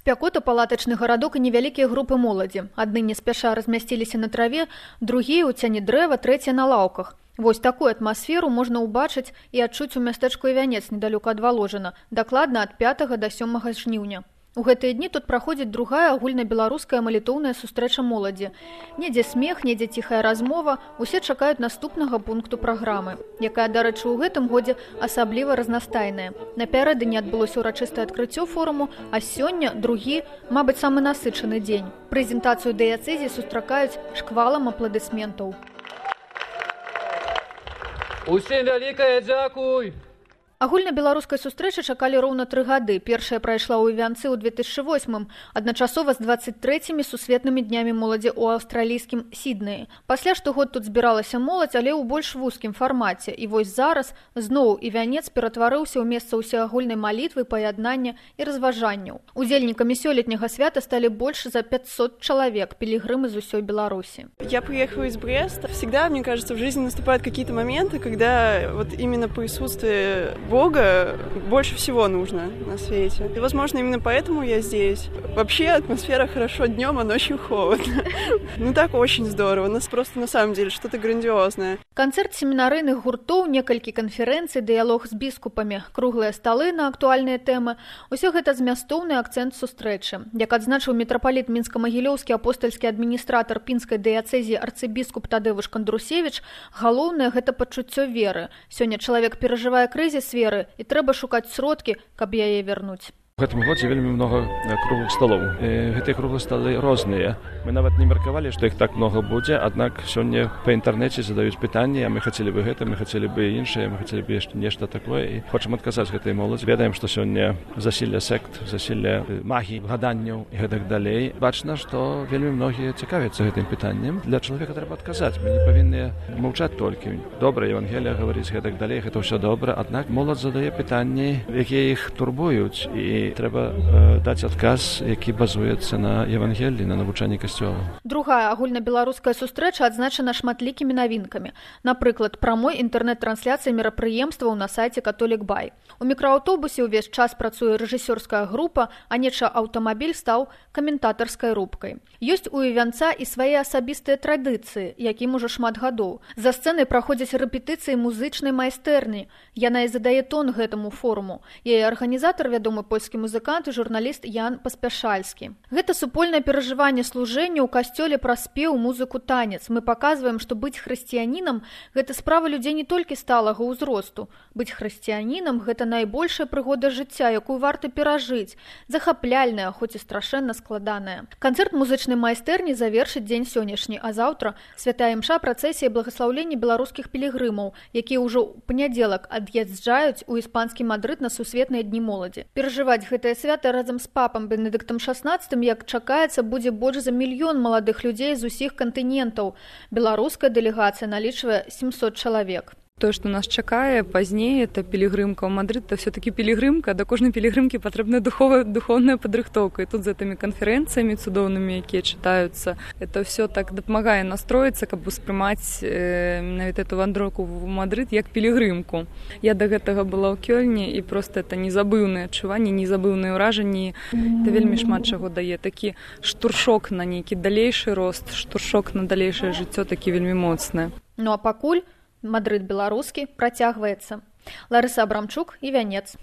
Спякота, палатачны гарадок і невялікія групы моладзі. Адны не спяша размясціліся на траве, другія ў цяні дрэва, трэція на лаўках. Вось такую атмасферу можна ўбачыць і адчуць у мястэчку Івянец недалёка ад Валожына, дакладна ад 5 да 7 жніўня. У гэтыя дні тут праходзіць другая агульнабеларуская малітоўная сустрэча моладзі. Недзе смех, недзе ціхая размова, усе чакаюць наступнага пункту праграмы, якая, дарэчы, у гэтым годзе асабліва разнастайная. Напярэдадні адбылося ўрачыстае адкрыццё форуму, а сёння другі, мабыць, самы насычаны дзень. Прэзентацыю дыяцэзіі сустракаюць шквалам апладысментаў. Усім вялікае дзякуй! Агульнабеларускай сустрэчы чакалі роўна 3 гады. Першая прайшла ў Івянцы ў 2008, адначасова з 23 сусветнымі днямі моладзі ў аўстралійскім Сіднеі. Пасля штогод тут збіралася моладзь, але ў больш вузкім фармаце. І вось зараз зноў Івянец ператварыўся ў месца ўсеагульнай малітвы, паяднання і разважанняў. Удзельнікамі сёлетняга свята сталі больш за 500 чалавек, пілігрымы з усёй Беларусі. Я приехала из Бреста. Всегда, мне кажется, в жизни наступают какие-то моменты, когда вот именно присутствие Бога больше всего нужно на свете. И, возможно, именно поэтому я здесь. Вообще атмосфера хорошо днем, а ночью холодно. Ну так очень здорово. У нас просто на самом деле что-то грандиозное. Канцэрт семінарыйных гуртоў, некалькі канферэнцый, дыялог з біскупамі, круглыя сталы на актуальныя тэмы. Усё гэта змястоўны акцэнт сустрэчы. Як адзначыў мітрапаліт мінска-магілёўскі апостальскі адміністратар пінскай дыяцэзіі арцыбіскуп Тадэвуш Кандрусевіч, галоўнае гэта пачуццё веры. Сёння чалавек перажывае крызіс веры, і трэба шукаць сродкі, каб яе вярнуць. У гэтым годзе вельмі много круглых столоў. Гэтыя круглыя столы розныя. Мы нават не меркавалі, што іх так много будзе, аднак сёння па інтэрнэце задаюць пытанні, а мы хацелі бы гэта, мы хацелі бы іншае, мы хацелі бы нешта такое, і хочам адказаць гэтай моладзі. Ведаем, што сёння засілле сект, засілле магіі, гаданняў і гэтак далей. Бачна, што вельмі многія цікавяцца гэтым пытаннем. Для чалавека трэба адказаць. Мы не павінны маўчаць толькі. Добра, Евангелія гаворыць гэтак далей, гэта ўсё добра, аднак моладзь задае пытанні, якія іх турбуюць, і трэба даць адказ, які базуецца на Евангеліі, на навучанні касцёла. Другая агульнабеларуская сустрэча адзначана шматлікімі навінкамі. Напрыклад, прамой інтэрнэт-трансляцыі мерапрыемстваў на сайце Католік.бай. У мікрааўтобусе ўвесь час працуе рэжысёрская група, а неча аўтамабіль стаў каментатарскай рубкай. Ёсць у Івянца і свае асабістыя традыцыі, якім ужо шмат гадоў. За сцэнай праходзяць рэпетыцыі музычнай майстэрні. Яна і задае тон гэтаму форуму. Яе арганізатар, вядомы польскі музыкант і журналіст Ян Паспяшальскі. Гэта супольнае перажыванне служэння ў касцёле праз спеў, музыку, танец. Мы паказваем, што быць хрысціянінам – гэта справа людзей не толькі сталага ўзросту. Быць хрысціянінам – гэта найбольшая прыгода жыцця, якую варта перажыць. Захапляльная, хоць і страшэнна складаная. Канцэрт музычнай майстэрні завершыць дзень сённяшні, а заўтра святая імша, працэсія благаслаўлення беларускіх пілігрымаў, якія ўжо ў панядзелак ад'язджаюць у іспанскі Мадрыд на сусветныя дні моладзі. Перажываць гэтае свята разам з папам Бенедыктам XVI, як чакаецца, будзе больш за 1 мільён маладых людзей з усіх кантынентаў. Беларуская дэлегацыя налічвае 700 чалавек. То, што нас чакае пазней, это пілігрымка ў Мадрыд, то все-таки пілігрымка, да кожнай пілігрымкі патрэбная духовная падрыхтоўка. І тут з гэтымі канферэнцыямі цудоўнымі, якія чытаюцца, это все так дапамагае настроіцца, каб успрымаць менавіта эту вандроўку ў Мадрыд як пілігрымку. Я да гэтага была ў Кёльне, і просто это незабыўныя адчуванні, незабыўныя ўражанні. Это вельмі шмат чаго дае. Такі штуршок на нейкі далейшы рост, штуршок на далейшае жыццё такі вельмі моцны. Ну а пакуль Мадрыд беларускі працягваецца. Ларыса Абрамчук, Івянец.